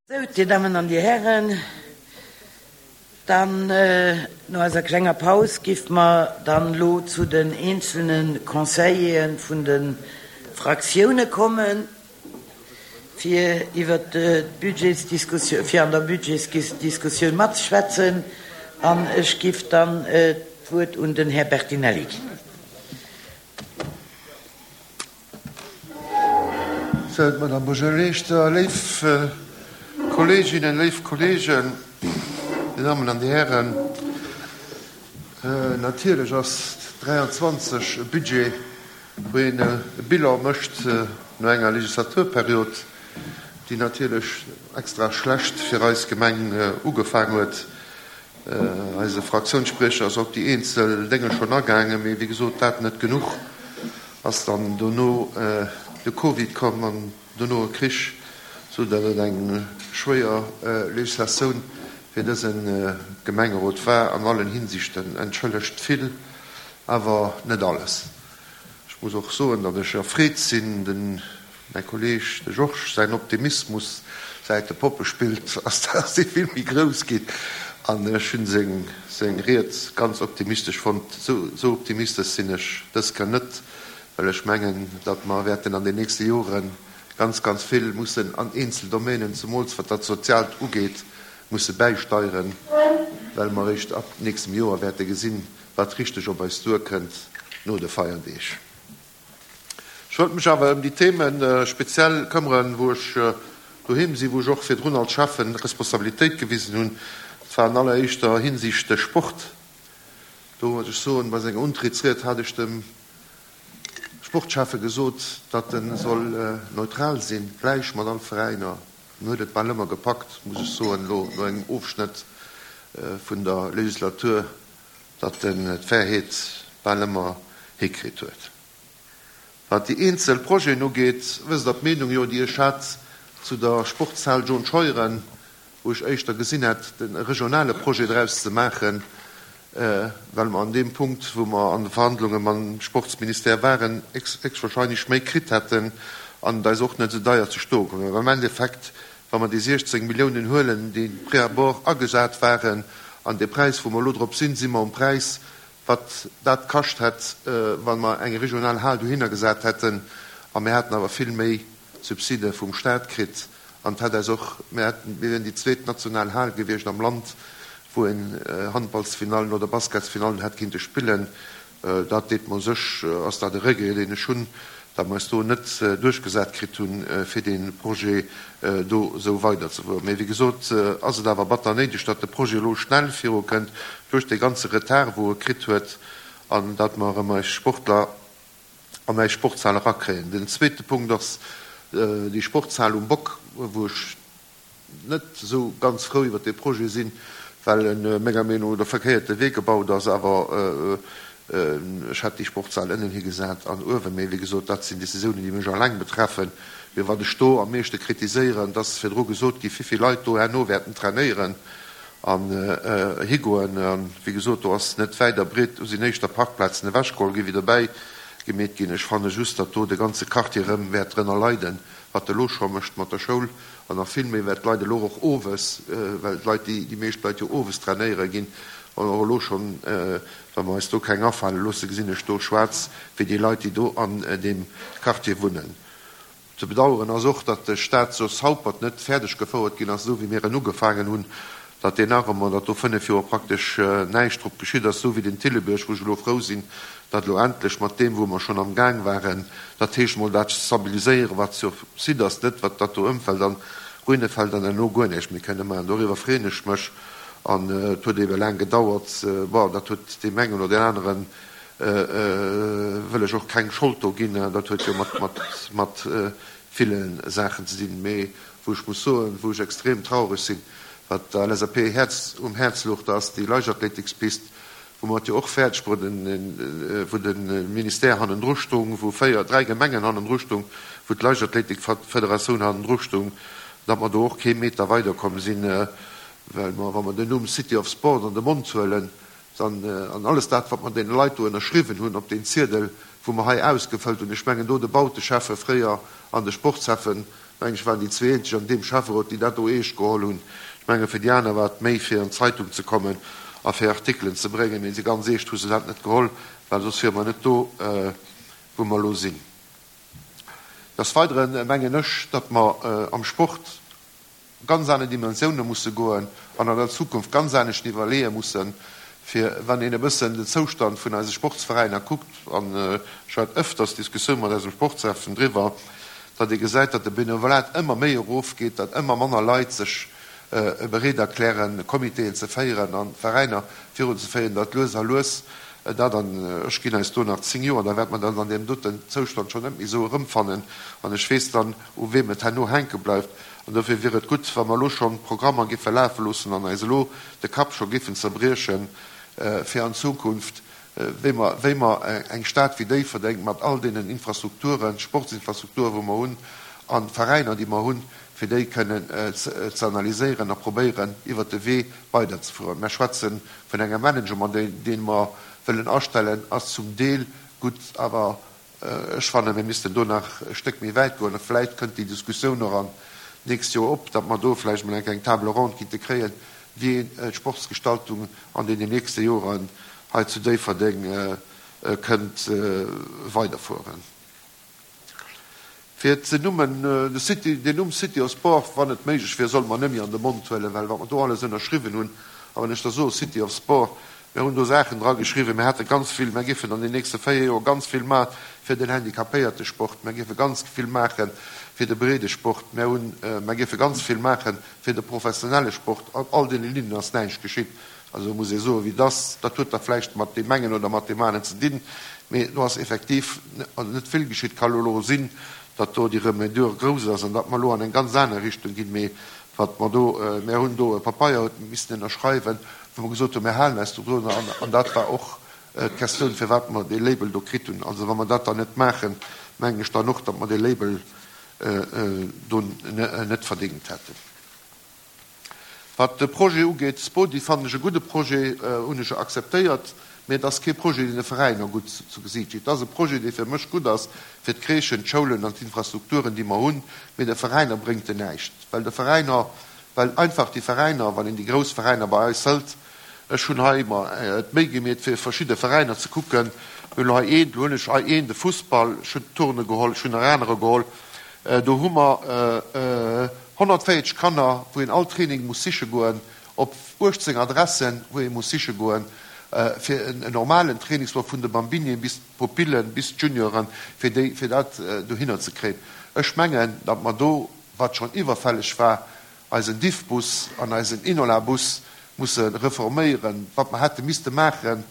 Sou, Dir Dammen an Dir Hären, dann no eiser klenger Paus giff mer dann elo zu den eenzelne Conseillere vun de Fraktioune kommen, fir iwwert d'Budgetsdiskussioun, fir an der Budgetsdiskussioun matzeschwätzen. An ech giff dann d'Wuert un den Här Bertinelli ginn. Sou, d'Madame Buergermeeschter, léif Kolleeginnen, léif Kolleegen, Dir Dammen an Dir Hären, natierlech ass 23 e Budget, wou een e Bilan mécht no enger Legislaturperiod, déi natierlech extra schlecht fir eis Gemeng ugefaang huet. Eise Fraktiounsspriecher ass op déi eenzel Dénge schonn agaangen, mee wéi gesot, dat net genuch. Ass dann dono de Covid komm an dono e Krich, sou datt et eng schwéier Legislatioun fir dëse Gemengerot war an allen Hinsichten. Entschëllegt vill, awer net alles. Ech muss och soen, datt ech erfreet sinn, den Mäi Kolleg, de Georges, säin Optimismus säit e Poppe spillt ass dass dee vill méi grouss ginn an ech hunn seng Ried ganz optimistesch fonnt. Sou optimistesch sinn ech dës Kéier net, well ech mengen, datt mer wäerten an den nächste Jore ganz, ganz vill mussen an eenzel Domänen, zemools wat dat Soziaalt ugeet, musse bäisteieren, well mer eréischt ab nächstem Joer wäerte gesinn, wat richteg op eis duerkënnt no de Feierdeeg. Ech wëllt mech awer ëm déi Theme speziell këmmeren, wou ech doheem sinn, wou ech och virdrun als Schäffen Responsabilitéit gewisen hunn. Dat war an alleréischter Hinsicht de Sport. Do muss ech soen, bei senger Untrittsried hat ech dem Sportschäffe gesot, datt e soll neutral sinn, gläich mat all Veräiner. En huet et bal ëmmer gepackt, muss ech soen, elo no engem Ofschnëtt vun der Legislatur. datt en d'Fairheet bal ëmmer hikritt huet. Wat déi eenzel Projeten ugeet, wësst Der d'Meenung jo, déi ech hat zu der Sportshal John Scheuren, wou ech éischter gesinn hätt, e regionale Projet draus ze maachen, well mer an deem Punkt, wou mer an de Verhandlunge mam Sportsministère waren, héchstwahrscheinlech méi kritt hätten an et eis och net esou deier ze stoe komm wär. Am Endeffekt Wa mer déi 16 Milliounen huelen, déi pré-abord agesat waren, an dee Präis, wou mer elo drop sinn, si mer um Präis, wat dat kascht hätt, wa mer eng regional Hal dohinner gesat hätten. A mir hätten awer vill méi Subside vum Stat kritt. An et hätt eis och, mir hätten, mir wieren déi zweet national Hal gewiescht am Land, wou een Handballsfinallen oder Basketsfinallen hätt kinnte spillen. Dat deet mer u sech, ass dat e Regret, deen ech hunn, datt mer eis do net duerchgesat kritt hunn, fir dee Projet do esou weiderzefueren. Mee wéi gesot ass et awer batter néideg, datt de Projet elo schnell virukënnt duerch dee ganze Retard, wou e kritt huet, an datt mer erëm eis Sportler an eis Sportshal erakréien. Den zweete Punkt ass déi Sportshal um Bock, wou ech net esou ganz frou iwwert dee Projet sinn, well en menger Meenung no de verkéierte Wee gebaut ass. Awer ech hätt déi Sportshal ënnen higesat an uewen. Mee wéi gesot, dat sinn Décisiounen, déi mech alleng betreffen. Mee wat ech do am meeschte kritiséieren, et ass virdru gesot gi vivill Leit do herno wäerten trainéieren an higoen. A wéi gesot, do ass net wäit a breet, do sinn éischter Parkplazen ewechgeholl ginn, wéi dobäi gemeet ginn. Ech fanne just, datt do de ganze Quartier erëm wäert drënner leiden, wat e lo scho mécht mat der Schoul. An nach vill méi, well d'Leit elo och owes, well d'Leit, déi meescht Leit jo owes trainéiere ginn, an och elo schonn, wa mer eis do keng afale loosse, gesinn ech do schwaarz fir déi Leit, déi do an deem Quartier wunnen. Ze bedauern ass och, datt de Stade Jos Haupert net fäerdeg gefouert ginn ass, esou wéi mir en ugefaangen hunn, datt deen nach ëmmer, datt do 5 Joer praktesch näischt drop geschitt ass, esou wéi den Thillebiërg, wou ech elo frou sinn, datt elo endlech mat deem, wou mer schonn am Gaang waren, dat heescht emol dat stabiliséieren, wat sur site ass, net wat dat do ëmfält an Ruine fält an herno guer näischt méi kënne maachen. Doriwwer freeën ech mech. An et huet ebe laang gedauert. Bon, dat huet deem engen oder deen aneren, wëll ech och keng Schold do ginn, dat huet jo mat, mat ville Saachen ze dinn. Mee wou ech muss soen, wou ech extrem traureg sinn, wat der LSAP Häerz um Häerz louch, dat ass déi Leichtathletikspist, wou mer et jo och fäerdeg bruet wou de Ministère hannendru stung, wou véier, dräi Gemengen hannendru stung, wou d'Leichtathletikfederatioun hannendru stung, datt mer do och kee Meter weiderkomm sinn, well mer, wa mer den Numm City of Sport an de Mond huelen, dann, an alles dat, wat mer deene Leit do ënnerschriwwen hunn op deen Ziedel, wou mer hei ausgefëllt hunn, ech mengen do de Bauteschäffe fréier an de Sportshäffen. Mengen ech waren déi zweeenzeg an deem Schäfferot, déi dat do eescht geholl hunn. Ech menge fir déi aner war et méi fir an d'Zeitung ze kommen a fir Artikelen ze bréngen, mee ganz eescht hu se dat net geholl, well soss wiere mer net do, wou mer elo sinn. Des Weidere mengen ech, datt mer am Sport ganz aner Dimensioune musse goen an an der Zukunft ganz anescht iwwerleeë mussen, fir wann een e bëssen den Zoustand vun eise Sportsveräiner kuckt, an ech hat ëfters Diskussioun mat eisem Sportshäffen driwwer, datt ee gesäit, datt de Benevolat ëmmer méi erofgeet, datt ëmmer manner Leit sech bereet erklären, Comitéen ze féieren an Veräiner virunzeféieren, datt lues a lues dat, an ech ginn eis do nach 10 Joer, da wäerte mer dat an deem doten Zoustand schonn net méi esou erëmfannen an ech weess dann, u weem et herno hänke bleift. An dofir wier et gutt, wa mer elo schonn d'Programmer géife lafe loossen an eis elo de Kapp scho géifen zerbriechen, fir an Zukunft, wéi mer, wéi mer eng Stad wéi Déifferdeng mat all deenen Infrastrukturen, Sportsinfrastrukturen, wou mer hunn, a Veräiner, déi mer hunn, fir déi kënnen ze analyséieren a probéieren, iwwert de Wee weiderzefueren. Mer schwätze vun engem Management, dee mer wëllen astellen, ass zum Deel gutt, awer Ech fannen, mir missten do nach e Stéck méi wäit goen. A vläicht kënnt déi Diskussioun och an d'nächst Joer op, datt mer do vläicht emol eng kleng Table ronde kinnte kréien, wéi een d'Sportsgestaltung an deenen nächste Joren hei zu Déifferdeng kënnt weiderfueren. Fir ze Nummen, de City, den Numm City of Sport, wann et méiglech wier, solle mer net méi an de Mond huelen, well wat mer do alles ënnerschriwwen hunn, a wann ech da soe City of Sport, mir hunn do Saachen dra geschriwwen, mir hate ganz vill, mir géifen an den nächste 4 Joer ganz vill maache fir den Handicapéiertesport, mir géife ganz vill maache fir de Breedesport, mir hunn, mir géife ganz vill maache fir de professionelle Sport. Op all deene Linnen ass näischt geschitt. Also muss ee soen, wéi et ass. Dat huet da vläicht mat deem engen oder mat deem aneren ze dinn, mee do ass effektiv net vill geschitt. Ka elo sinn, datt do déi Remédure grouss ass an datt mer elo an eng ganz aner Richtung ginn. Mee wat mer do, mir hunn do e Papeier missen ënnerschreiwen, wou mer gesot hunn, mir halen eis dodrun an dat war och d'Questioun, firwat mer dee Label do kritt hunn. Also wa mer dat dann net maachen, mengen ech dann och, datt mer dee Label do net verdéngt hätten. Wat de Projet ugeet, Spodi fannen ech e gudde Projet, hunn ech akzeptéiert, mee et ass kee Projet, deen de Veräiner gutt zu Gesiicht steet. Et ass e Projet, dee fir mech gutt ass fir d'Crèchen, d'Schoulen an d'Infrastrukturen, déi mer hunn, mee de Veräiner bréngt en näischt, well de Veräiner, well einfach déi Veräiner, wann een déi grouss Veräiner bei eis hëlt, ech hunn hei mer d'Méi gemeet, fir verschidde Veräiner ze kucken, mir hunn elo hei een, elo hunn ech hei een, de Fussball, ech hunn d'Turne geholl, ech hunn nach anerer geholl, do hu mer 140 Kanner, wou een all Training muss siche goen, op 18 Adressen, wou ee muss siche goen, fir en normalen Trainingsblock vun de Bambinien bis d'Pupillen, bis d'Junioren, fir déi, fir dat dohinner ze kréien. Ech mengen, datt mer do, wat schonn iwwerfälleg war, eisen Diffbus an eisen Inola-Bus musse reforméieren, wat mer hätte misste maachen,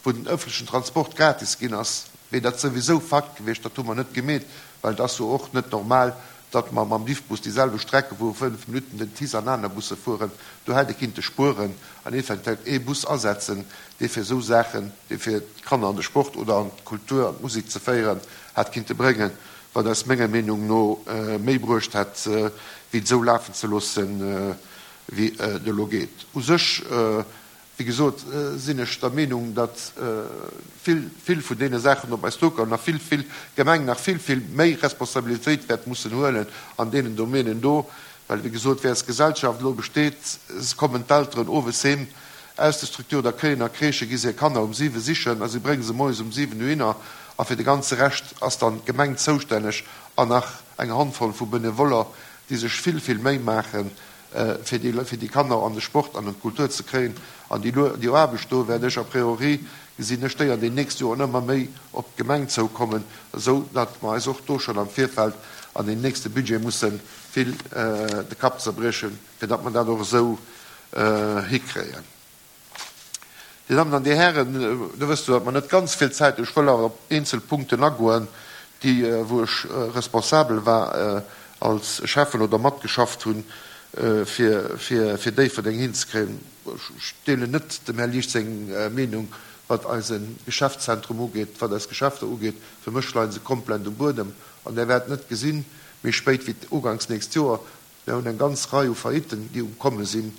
wou den ëffentlechen Transport gratis ginn ass, wier dat souwisou Fakt gewiescht. Dat hu mer net gemeet, well et ass jo och net normal, datt mer mam Diffbus déi selwecht Strecke wou 5 Minutten den TICE an aner Busse fueren, do hätt ee kinnte spueren an eventuell ee Bus asetzen, dee fir esou Saachen, dee fir d'Kanner an de Sport oder an d'Kultur, an d'Musek ze féieren, hätt kinnte bréngen, wat eis menger Meenung no méi bruecht hätt, wéi et esou lafen ze loossen, wéi et elo geet. U sech Wéi gesot, sinn ech der Meenung, datt vill, vill vun deene Saachen op eis duerkommen a vill, vill d'Gemeng nach vill, vill méi Responsabilitéit wäert mussen huelen an deenen Domänen do, well, wéi gesot, wéi eis Gesellschaft elo besteet, kommen d'Elteren owes heem aus de Structures d'accueillen a Crèchë, gi se hir Kanner um siwe sichen a si brénge se moies um siwen dohinner a fir de ganze Rescht ass dann d'Gemeng zoustänneg an nach eng Handvoll vu Benevoller, déi sech vill, vill Méi maachen, fir déi, fir déi Kanner an de Sport an an d'Kultur ze kréien. An déi, déi Aarbecht do wäert ech a priori, gesinn ech déi an den nächste Joren ëmmer méi op d'Gemeng zoukommen, esou datt mer eis och do schonn am Virfeld an den nächste Budget musse vill de Kapp zerbriechen, fir datt mer dat och esou hikréien. Dir Dammen an Dir Hären, do wësst Der, datt mer net ganz vill Zäit hunn. Ech wëll awer op eenzel Punkten agoen, déi, wou ech responsabel war als Schäffen oder matgeschafft hunn, fir, fir, fir Déifferdeng hinzekréien. Ech deelen net dem Här Liesch seng Meenung, wat eise Geschäftszentrum ugeet, wat eis Geschäfter ugeet. Fir mech leie se komplett um Buedem an Der wäert net gesinn, méi spéit wéi uganks nächst Joer, Mir hunn eng ganz Rei u Faillitten, déi um Komme sinn,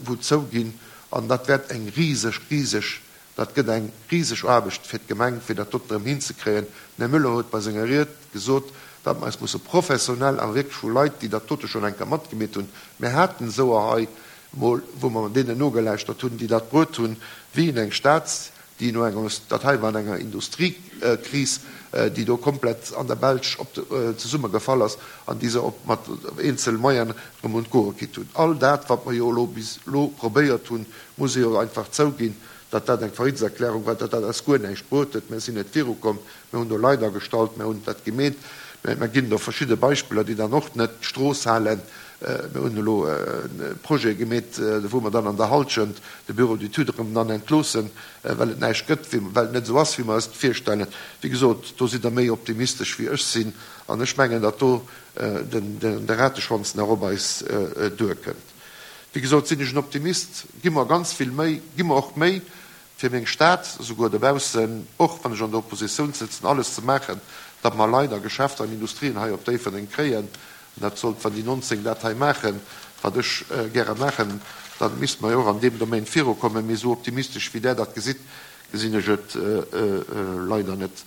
wou zouginn. An dat wäert eng riseg, riseg, dat gëtt eng riseg Aarbecht fir d'Gemeng, fir dat doten erëm hinzekréien. Den Här Müller huet bei senger Ried gesot, Datt mer eis musse professionell a wierklech vu Leit, déi dat dote schonn eng Kéier matgemeet hunn, mir haten esouer hei emol, wou mer deenen nogelauschtert hunn, déi dat bruet hunn, wéi en eng Stad, déi no enger, dat hei war an enger Industriekris, déi do komplett an der Belsch op zesummegefall ass an déi se op mat eenzel Moyene erëm un d'Goe kritt hunn. All dat, wat mer jo elo bis elo probéiert hunn, muss ee jo einfach zouginn, datt dat eng Failliteserklärung war, datt dat eis guer näischt bruet huet. Mir sinn net virukomm, mir hunn do Leit agestallt, mir hunn dat gemeet, mä mir ginn do verschidde Beispiller, déi dann och net d'Strooss halen. Mir hunn elo e Projet gemeet, wou mer dann an der Halschent de Bureau d'études erëm dann entloossen, well et näischt gëtt, well et net esou ass, wéi mer eis et virstellen. Wéi gesot, do sidd Der méi optimistesch wéi ech sinn an ech mengen, datt do de Rateschwanz nach op eis duerkënnt. Wéi gesot sinn ech en Optimist, gi mer ganz vill Méi, gi mer och Méi fir meng Stad, esouguer dobaussen, och wann ech an der Oppositioun sëtzen, alles ze maachen, datt mer Leit a Geschäfter an Industrien hei op Déifferdeng kréien. An dat sollt, wann déi 19 dat hei maachen, wat ech gäre maachen, da misste mer jo och an deem Domaine virukommen. Mee esou optimistesch wéi Der dat gesitt, gesinn ech et leider net.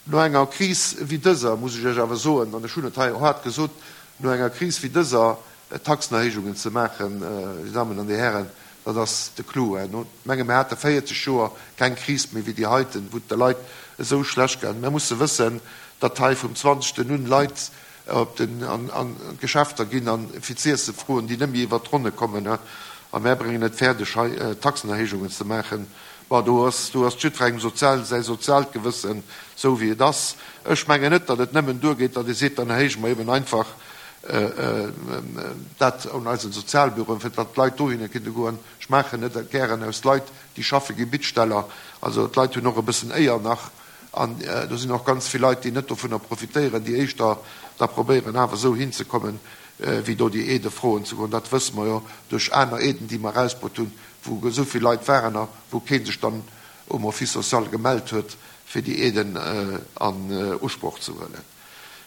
No enger Kris wéi dëser, muss ech Iech awer soen, an ech hunn et hei och haart gesot, no enger Kris wéi dëser Taxenerhéijungen ze maachen, Dir Dammen an Dir Hären, dat ass de Clou. Ech menge mir hate 40 Joer keng Kris méi wéi déi heiten, wou et de Leit esou schlecht gaangen. Mir musse wëssen, datt hei vum 20. un Leit op den an d'Geschäfter ginn an fir z'iesse froen, déi net méi iwwert d'Ronne kommen, a mär bréngen et fäerdeg hei Taxenerhéijungen ze maachen. Bon, do ass, do ass jiddwerengem sozial säi soziaalt Gewëssen esou wéi et ass. Ech mengen net, datt et nëmmen duergeet, datt ee seet, dann erhéije mer eben einfach dat un eisen Sozialbüroen, fir datt d'Leit dohinner kënne goen. Ech maachen net gären aus Leit, déi schaffe gi Bittsteller. Also d'Leit hunn och e bëssen Éier nach. An do sinn och ganz vill Leit, déi net dovunner profitéieren, déi éischter da probéieren awer esou hinzekommen, wéi do déi Aidë froen ze goen. Dat wësse mer jo duerch aner Aiden, déi mer erausbrutt hunn, wou esou vill Leit waren a wou kee sech dann um Office social gemellt huet, fir déi Aiden an Usproch ze huelen.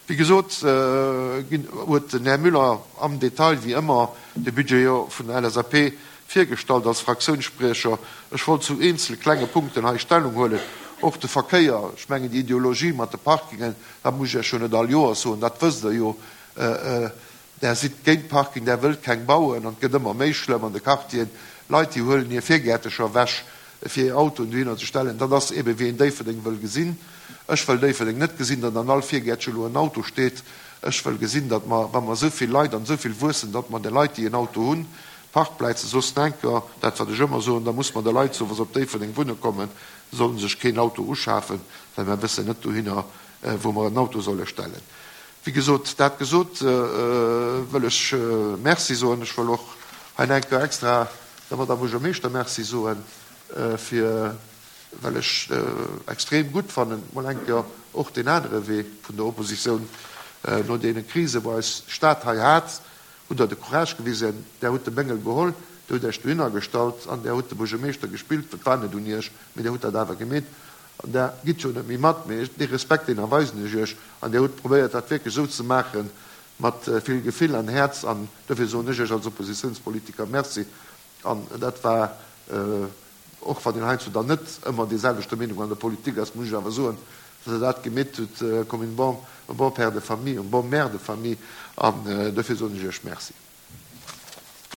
Wéi gesot, huet den Här Müller am Detail, wéi ëmmer, de Budget jo vun der LSAP virgestallt als Fraktiounsspriecher. Ech wollt zu eenzel klenge Punkten hei Stellung huelen. Och de Verkéier, ech mengen déi Ideologie mat de Parkingen, dat muss ech Iech jo net all Joers soen, dat wësst Der jo. Där sidd géint Parking, där wëllt keng bauen an et gëtt ëmmer méi schlëmm an de Quartieren. Leit déi huelen hir Virgäertecher ewech fir hir Autoen dohinner ze stellen. Dat ass ebe wéi een Déifferdeng wëll gesinn. Ech wëll Déifferdeng net gesinn, datt an all Virgäertche elo en Auto steet. Ech wëll gesinn, datt mer, wa mer esou vill Leit an esou vill wuessen, datt mer de Leit déi en Auto hunn, Parkpläize soss enker, dat wat ech ëmmer soen, da muss mer de Leit soen, wa se op Déifferdeng wunne kommen, solle sech keen Auto uschafen, well mer wëssen net dohinner wou mer en Auto solle stellen. Wéi gesot, dat gesot, wëll ech Merci soen. Ech wëll och hei eng Kéier extra der Madame Buergermeeschter Merci soen, fir, well ech extrem gutt fannen, mol eng Kéier och deen anere Wee vun der Oppositioun, no deene Krisen, wou eis Stad hei hat, hutt Der de Courage gewisen, Der hutt de Béngel geholl, Der hutt Iech dohinner gestallt an Der hutt de Buergermeeschter gespillt. Et war net un Iech, mee Der hutt dat awer gemeet. An Der gitt jo net méi mat, mee dee Respekt, deen erweisen ech Iech. An Dir hutt probéiert, dat wierklech esou ze maache mat vill Gefill an Häerz. An dofir soen ech Iech als Oppositiounspolitiker Merci. An dat war, och wann een heiansdo dann net ëmmer deeselwechter Meenung an der Politik ass, muss ech awer soen, datt Der dat gemeet hutt comme une bonne, un bon père de famille, une bonne mère de famille. An dofir soen ech Iech Merci.